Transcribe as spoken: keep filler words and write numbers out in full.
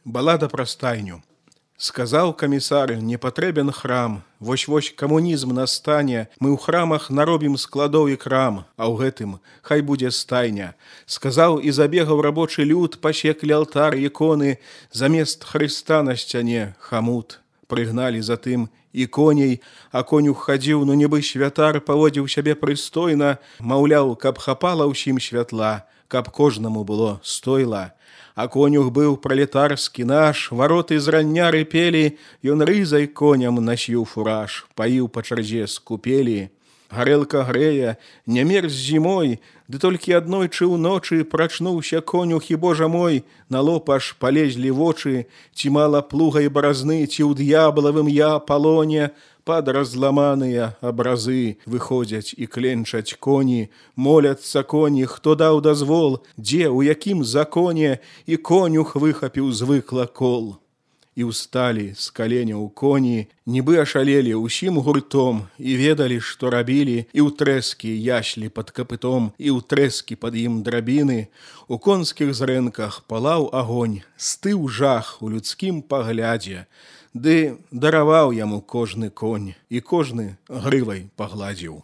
Балада пра стайню. Сказаў камісар, не патрэбен храм. Вось-вось камунізм настане, мы ў храмах наробім складоў і крам, а ў гэтым хай будзе стайня. Сказаў і забегаў рабочы люд, пасеклі алтар іконы, замест Хрыста на сцяне хамут. Прыгналі затым і коней, а конюх хадзіў, ну нібы святар, паводзіў сябе прыстойна, маўляў, каб хапала ўсім святла, каб кожнаму было стойла. А конюх быў пралетарскі наш, вароты з рання рыпелі, ён рызай коням насіў фураж, паіў па чарзе з купелі. Гарэлка грэе, не мерз зімой, ды толькі аднойчы ўночы прачнуўся конюх, і, божа мой, на лоб аж палезлі вочы, ці мала плуга і баразны, ці ў д'яблавым я палоне, пад разламаныя абразы выходзяць і кленчаць коні, моляцца коні, хто даў дазвол, дзе, у якім законе, і конюх выхапіў звыкла кол. І ўсталі з каленяў коні, нібы ашалелі ўсім гуртом, і ведалі, што рабілі, і ў трэскі яшлі пад капытом, і ў трэскі пад ім драбіны. У конскіх зрэнках палаў агонь, стыў жах у людскім паглядзе, ды дараваў яму кожны конь, і кожны грывай пагладзіў.